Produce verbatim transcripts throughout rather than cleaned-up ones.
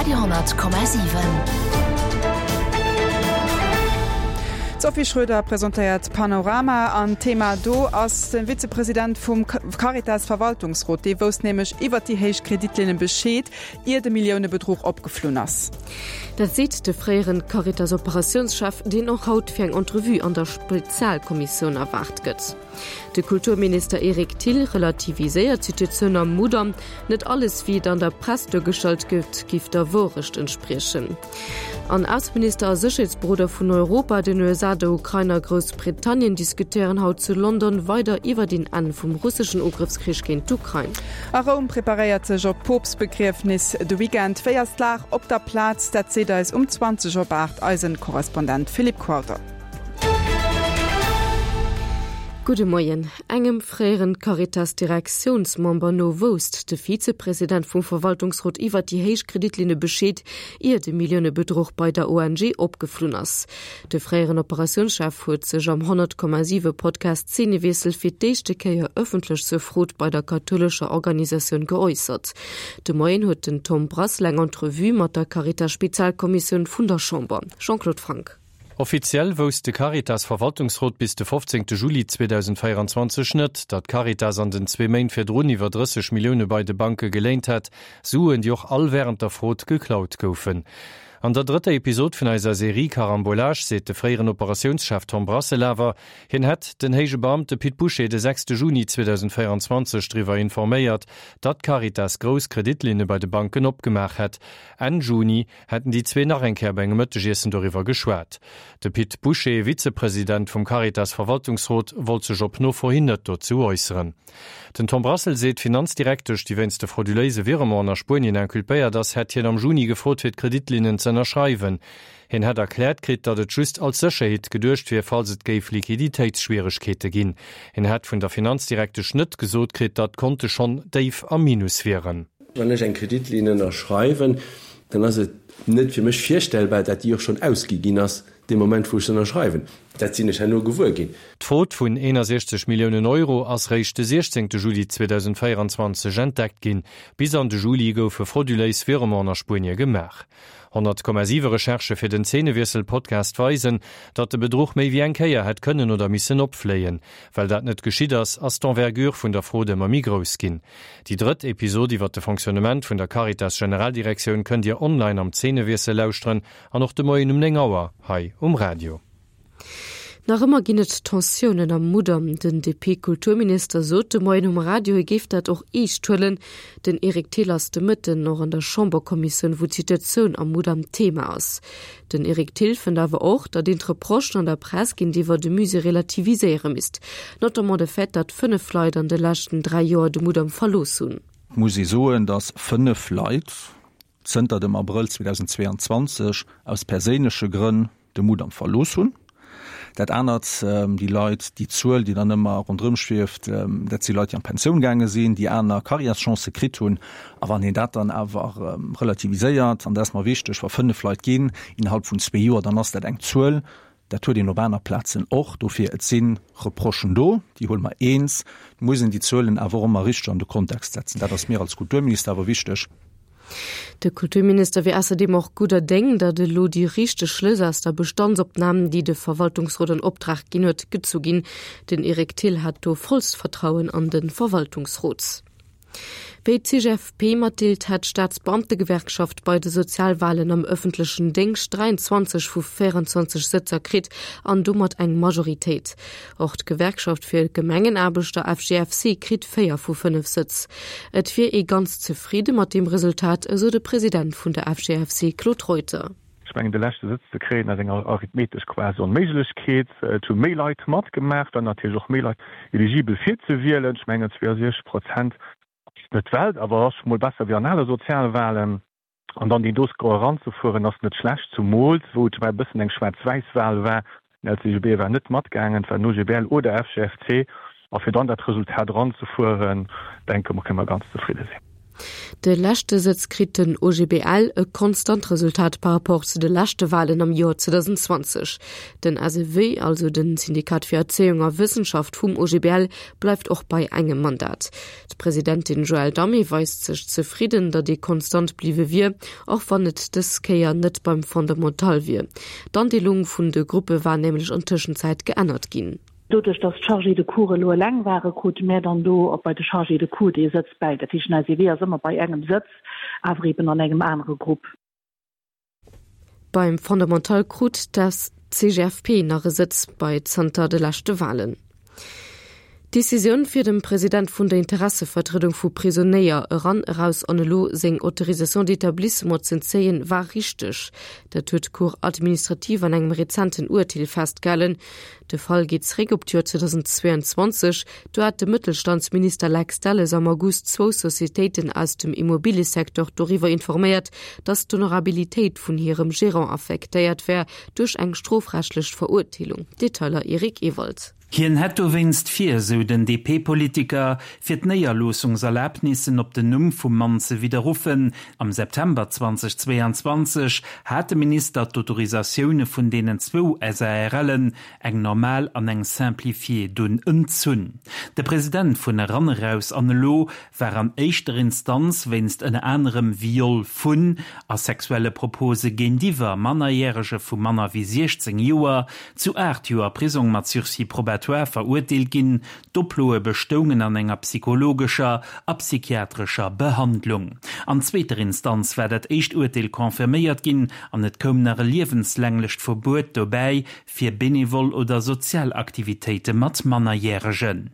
Radio honnert Komma siwen. D'Sophie Schröder presentéiert Panorama an Thema do ass de Vizepresident vum Caritas Verwaltungsrot. Dee wousst nämlech iwwert déi héich Kreditlinne Bescheed, ier de Milliounebedruch opgeflunn ass. Dat seet de fréieren Caritas-Operatiounschef, deen och haut fir eng Entrevue an der Spezialkommissioun erwaart gëtt. De Kulturminister Eric Thill relativiséiert d'Situatioun am Mudam, Net alles, wéi et an der Press duergestallt gëtt, giff der Wourecht entspriechen. An Ausseminister a Sécherheetsberoder vun Europa, den U S A, der Ukrain a Groussbritannien diskutéieren haut zu London weider iwwert een Enn vum russeschen Ugrëffskrich géint d'Ukrain. A Roum preparéiert sech op d'Poopstbegriefnis de Weekend. Wéi ass d'Lag op der Plaz? Dat seet eis um zwanzeg op aacht eisen Korrespondent Philippe Qualter. Gudde Moien. Engem fréieren Caritas-Direktiounsmember no wousst de Vizepresident vum Verwaltungsrot iwwert déi héich Kreditlinne Bescheed, ier de Milliounebedruch bei der O N G opgeflunn ass. De fréieren Operatiounschef huet sech am honnert Komma siwe Podcast Szenewiessel fir d'éischte Kéier ëffentlech zur Frot bei der kathoulescher Organisatioun geäussert. De Moien huet den Tom Brassel eng Entrevue mat der Caritas-Spezialkommissioun vun der Chamber. Jean-Claude Franck. Offiziell wousst de Caritas-Verwaltungsrot bis de fofzéngte Juli zweedausendvéieranzwanzeg net, datt d'Caritas an den zwee Méint virdrun iwwer drësseg Millioune bei de Banke geléint hätt, Suen, déi och all wärend der Frod geklaut goufen. An der drëtter Episod vun eiser Serie Carambolage seet de fréieren Operatiounschef Tom Brassel awer, hien hätt den héije Beamte Pit Bouché de sechste Juni zweedausendvéieranzwanzeg driwwer informéiert, datt d'Caritas grouss Kreditlinne bei de Banken opgemaach hätt. Enn Juni hätten déi zwee nach eng Kéier bei engem Mëttegiessen doriwwer geschwat. De Pit Bouché, Vizepresident vum Caritas-Verwaltungsrot, wollt sech op Nofro hin net dozou äusseren. Den Tom Brassel seet, d'Finanzdirektesch, déi wéinst de frauduléise Virementen a Spuenien inculpéiert ass, hätt hien am Juni gefrot, fir d'Kreditlinnen ze ënnerschreiwen. Hien hätt erkläert kritt, datt et just als Sécherheet geduecht wier, falls et géif Liquiditéitsschwieregkeete ginn. Hien hätt vun der Finanzdirektesch net gesot kritt, datt d'Konte schonn déif am Minus wieren. Wann ech eng Kreditlinn ënnerschreiwen, dann ass et net fir mech virstellbar, datt déi och schonn ausgi ginn ass, dee Moment, wou ech se ënnerschreiwen. Dat sinn ech herno gewuer ginn. D'Frod vun eenundsechzeg Milliounen Euro ass réischt de siechzehnte Juli zweedausendvéieranzwanzeg entdeckt ginn. Bis an de Juli goufe frauduléis Virementen a Spuenie gemaach. honnert Komma siwe Recherchë fir den Zeenewiessel-Podcast weisen, datt de Bedruch méi wéi eng Kéier hätt kënnen oder missen opfléien. Well dat net geschitt ass, ass d'Envergure vun der Frod ëmmer méi grouss ginn. Déi drëtt Episod iwwer de Fonctionnement vun der Caritas Generaldirektioun kënnt Dir online am Zeenewiessel lauschteren an och de Moien um néng Auer hei um Radio. Nach ëmmer ginn et Tensiounen am Mudam. Den D P-Kulturminister sot de Moien um Radio, hie géif dat och eescht huelen. Den Eric Thill ass de Mëtten och an der Chamberkommissioun, wou d'Situatioun am Mudam Thema ass. Den Eric Thill fënnt awer och, datt een d'Reprochen an der Press géintiwwer de Musée relativiséiere misst. Notamment de Fait, datt fënnef Leit an de leschten dräi Joer de Mudam verlooss hunn. Muss ich soen, dass fënnef Leit zënter dem Abrëll zweetausendzweiundzwanzeg aus perséinleche Grënn de Mudam verlooss hunn. Dat anert, ähm, déi Leit, déi Zuel, déi dann ëmmer rondrëm schwieft, ähm, dat si Leit, déi an Pensioun gaange sinn, déi aner Karriereschance kritt hunn. A wann een dat dann awer, ähm, relativiséiert, an dat ass mer wichteg, wa fënnef Leit ginn innerhalb vun zwee Joer, dann ass dat eng Zuel. Dat huet een op aner Plazen och. Dofir, et sinn Reprochen do, déi huele mer eens. Muss een déi Zuelen awer och ëmmer richteg an de Kontext setzen. Dat ass mir als Kulturminister awer wichteg. De Kulturminister wier außerdem och gudder Déng, datt elo déi richteg Schlëss aus der Bestandsopnam, déi de Verwaltungsrot an Optrag ginn huet, gezu ginn. Den Eric Thill hat do vollst Vertrauen an den Verwaltungsrot. Wéi d'C G F P matdeelt, hat d'Staatsbeamtegewerkschaft bei de Sozialwahlen am öffentlichen Déngscht dräiundzwanzeg vu véierundzwanzeg Sëtzer kritt an domat eng Majoritéit. Och d'Gewerkschaft fir Gemengenaarbechter F G F C kritt véier vu fënnef Sëtz. Et wier ee ganz zefridde mat dem Resultat, esou de President vun der F G F C Claude Reuter. Ech mengen, de leschte Sëtz ze kréien ass eng arithmetesch quasi Onméiglechkeet. Et hu méi Leit matgemaach, dann natierlech och méi Leit eligibel fir ze wielen. Ech mengen, zweiundsechzeg Prozent ass net d'Welt, awer ass mol besser wéi an alle Sozialwahlen. An dann den Doscore ranzefueren ass net schlecht, zumools wou et e bëssen eng Schwaarz-Wäiss-Wahl war. Den L C G B war net matgaangen, et war den O G B L oder F G F C. A fir dann dat Resultat ranzefueren, denke mer, kënne mer ganz zefridde sinn. De leschte Sëtz kritt den OGBL, e konstant Resultat par rapport zu de leschte Walen am Joer zweedausendzwanzeg. Den S E W, also den Syndikat fir Erzéiung a Wëssenschaft vum O G B L, bleift och bei engem Mandat. D'Presidentin Joëlle Damé weist sech zefridden, datt ee konstant bliwwe wier, och wann et dës Kéier net beim Fondamental wier. D'Andeelung vun de Gruppe war nämlech an Tëschenzäit geännert ginn. Doduerch datt d'Chargés de cours elo eleng ware krute mär dann do och bei de Chargés de cours dee Sëtz bäi. Dat heescht den S E W ass ëmmer bei engem Sëtz, awer eben an engem anere Grupp. Beim Fondamental krut d'C G F P nach e Sëtz bei zanter de leschte Walen. D'Decisioun fir dem President vun der Interessevertriedung vu Prisonéier Eran Eraus an Elo seng Autorisation d'établissement z'entzéien, war richteg. Dat huet d'Cour administrative an engem rezenten Urteel festgehalen. De Fall geet zeréck op d'Joer zweedausendzweeanzwanzeg, do hat de Mëttelstandsminister Lex Delles am August zwou Societéiten aus dem Immobiliesecteur doriwwer informéiert, datt d'Honorabilitéit vun hirem Gerant affektéiert wär duerch eng strofrechtlech Verurteelung. Detailer Eric Ewald. Hien hätt dowéinst vir, sou den D P-Politiker, fir d'Néierloossungserlabnissen op den Numm vum Mann ze widderruffen. Am September zweedausendzweianzwanzeg hat de Minister d'Autorisatioune vun deenen zwou S A R Len, eng normal an eng simplifiée, dunn entzunn. De President vun Eran Eraus an Elo war an éischter Instanz wéinst ënner anerem Viol vun a sexuelle Propose géintiwwer Mannerjärege vu manner wéi siechzéng Joer zu aacht Joer Prisong mat Sursis probatoire verurteelt ginn. D'Oploe bestoungen an enger psychologescher a psychiatrescher Behandlung. An zweeter Instanz war dat éischt Urteel confirméiert ginn an et koum nach e liewenslänglecht Verbuet dobäi fir benevol oder sozial Aktivitéite mat Mannerjäregen.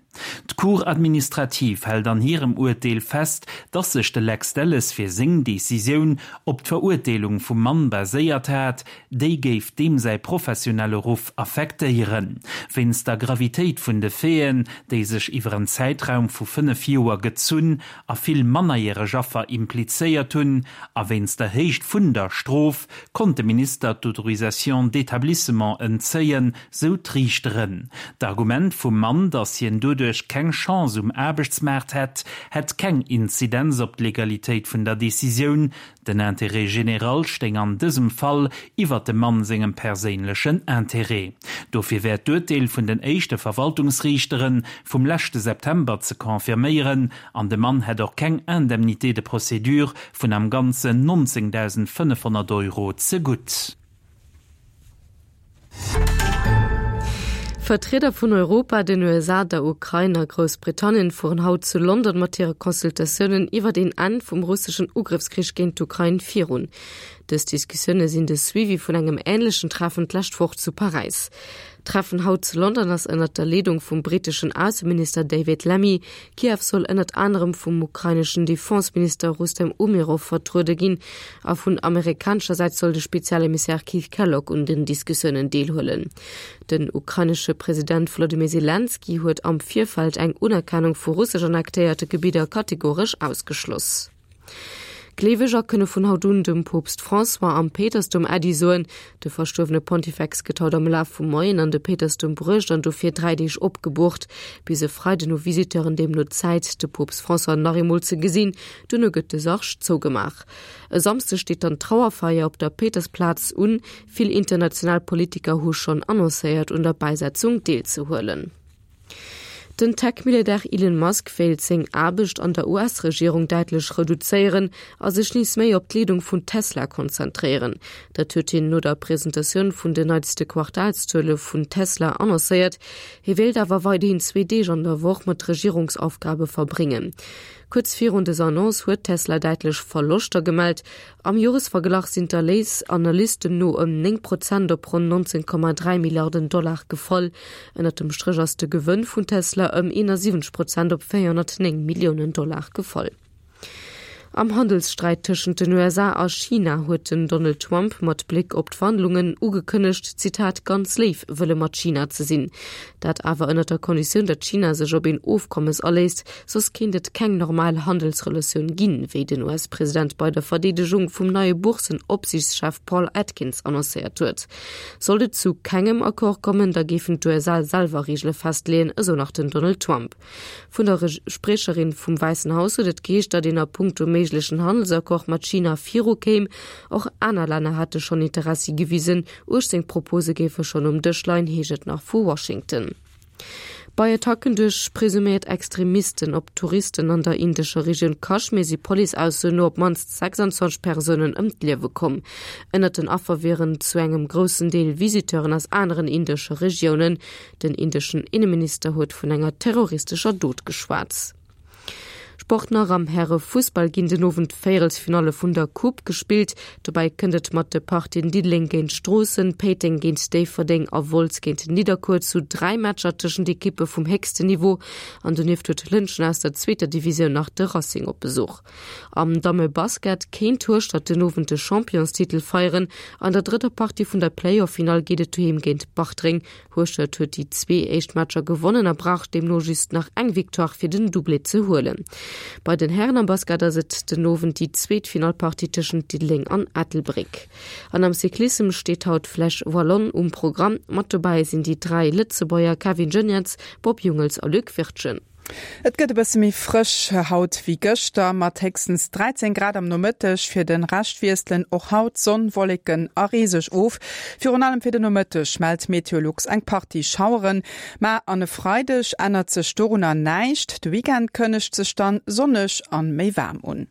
D'Cour administrative hält an hirem Urteel fest, datt sech de Lex Delles fir seng Decisioun op d'Verurteelung vum Mann baséiert hat, déi géif deem säi professionelle Ruff affektéieren. Wéinst der Gravitéit vun de Faiten, déi sech iwwer en Zäitraum vu fënnef Joer gezunn a vill mannerjäreg Affer implizéiert hunn, a wéinst der Héicht vun der Strof, konnt de Minister d'Autorisation d'établissement entzéien, sou d'Riichteren. D'Argument vum Mann, datt hien doduerch keng Chance um Aarbechtsmaart hätt, hätt keng Inzidenz op d'Legalitéit vun der Decisioun. Den Intérêt général stéing an dësem Fall iwwer dem Mann sengem perséinlechen Interêt. Dofir wär d'Urteel vun den éischte Verwaltungsriichteren vum leschte September ze confirméieren, an de Mann hätt och keng Indemnité de procédure vun am Ganzen nonzéngdausendfënnefhonnert Euro zegutt. Vertrieder vun Europa, den U S A, der Ukrain a Groussbritannien fueren haut zu London mat hire Consultatiounen iwwer den Enn vum russeschen Ugrëffskrich géint d'Ukrain virun. Dës Diskussioune sinn de Suivi vun engem änlechen Treffen d'lescht Woch zu Paräis. D'Treffen haut zu London ass ënner der Leedung vum britteschen Ausseminister David Lammy. Kiew soll ënnert anerem vum ukraineschen Defenseminister Rustem Umerov vertruede ginn a vun amerikanescher Säit soll de Spezialemissär Keith Kellogg un den Diskussiounen deelhuelen. Den ukrainesche President Volodymyr Selenskyj huet am Virfeld eng Unerkennung vu russesch annektéierte Gebidder kategoresch ausgeschloss. Gleeweger kënne vun haut un dem Poopst François am Péitersdoum Äddi soen. De verstuerwene Pontifex gëtt haut am Laf vum Moien an de Péitersdoum bruecht an do fir dräi Deeg opgeboort. Bis e Freiden hu Visiteuren deemno Zäit, de Poopst François nach eemol ze gesinn, duerno gëtt de Sarg zougemaach. E Samschdeg steet dann d'Trauerfeier op der Péitersplaz un. Vill international Politiker hu schonn annoncéiert, un der Bäisetzung deelzehuelen. Den Tech-Milliardär Elon Musk wéilt seng Aarbecht an der U S-Regierung däitlech reduzéieren a sech nees méi op d'Leedung vun Tesla konzentréieren. Dat huet hien no der Presentatioun vun den neitste Quartalszuele vun Tesla annoncéiert. Hie wéilt awer weiderhin zwee Deeg an der Woch mat Regierungsaufgabe verbréngen. Kuerz virun dëser Annonce huet Tesla däitlech Verloschter gemellt. Am Joresverglach sinn d'Erléiss Analysten no ëm néng Prozent op ronn nonzéng Komma dräi Milliarden Dollar gefall. Ënnert dem Stréch ass de Gewënn vun Tesla ëm eenasiwwenzeg Prozent op véierhonnertnéng Milliounen Dollar gefall. Am Handelssträit tëschent den U S A a China huet den Donald Trump mat Bléck op d'Verhandlungen ugekënnegt, Zitat, ganz léif wëlle mat China ze sinn. Dat awer ënner der Konditioun, datt China sech op een Ofkommes aléisst, soss kéint et keng normal Handelsrelatioun ginn, wéi den U S-President bei der Verdeedegung vum neie Boursen-Opsiichtschef Paul Atkins annoncéiert huet. Sollt et zu kengem Accord kommen, da géifen d'U S A selwer Reegele festleeën, esou nach den Donald Trump. Vun der Spriecherin vum Wäissen Haus huet et geheescht, datt een a punkto méiglechen Handelsaccord mat China viru kéim. Och aner Länner hätte schonn Interessi gewisen. Uechtzéng Propose géife schonn um Dësch leien, heescht et nach vu Washington. Bei Attacken duerch presuméiert Extremisten op Touristen an der indescher Regioun Kaschmir si Police-Aussoen no op d'mannst sechsundzwanzeg Persounen ëm d'Liewe komm. Ënnert den Affer wieren zu engem groussen Deel Visiteuren aus aneren indesche Regiounen. Den indeschen Inneminister huet vun enger terroristescher Dot geschwat. Sport nach, Am Häre-Fussball ginn den Owend d'Véierelsfinalle vun der Coupe gespillt. Dobäi kënnt et mat de Partien Diddeleng géint Stroossen, Péiteng géint Déifferdeng a Wolz géint Nidderkuer zu dräi Matcher tëschent Ekippe vum héchsten Niveau. An donieft huet Lëntgen aus der zweeter Divisioun nach de Racing op Besuch. Am Damme-Basket kéint Hueschtert den Owend de Championstitel feieren. An der drëtter Partie vun der Playoff-Finall geet et doheem géint Bartreng. Hueschtert huet déi zwee éischt Matcher gewonnen a brauch deemno just nach eng Victoire fir den Doublé ze huelen. Bei den Hären am Basket ass et den Owend déi zweet Finallpartie tëschent Diddeleng an Ettelbréck. An am Cyclissem steet haut d'Flèche Wallonne um Programm. Mat dobäi sinn déi dräi Lëtzebuerger Kevin Geniets, Bob Jungels a Luc Wirtgen. Et gëtt e bësse méi frësch haut wéi gëschter, mat héchstens dräizéng Grad am Nomëtteg. Fir de Rescht wiesselen och haut Sonn, Wolleken a Ree sech of. Virun allem fir de Nomëtteg mellt Meteolux eng Partie Schaueren. Ma an e Freideg ännert sech dorunner näischt, de Weekend kënnegt sech dann sonneg an méi waarm un.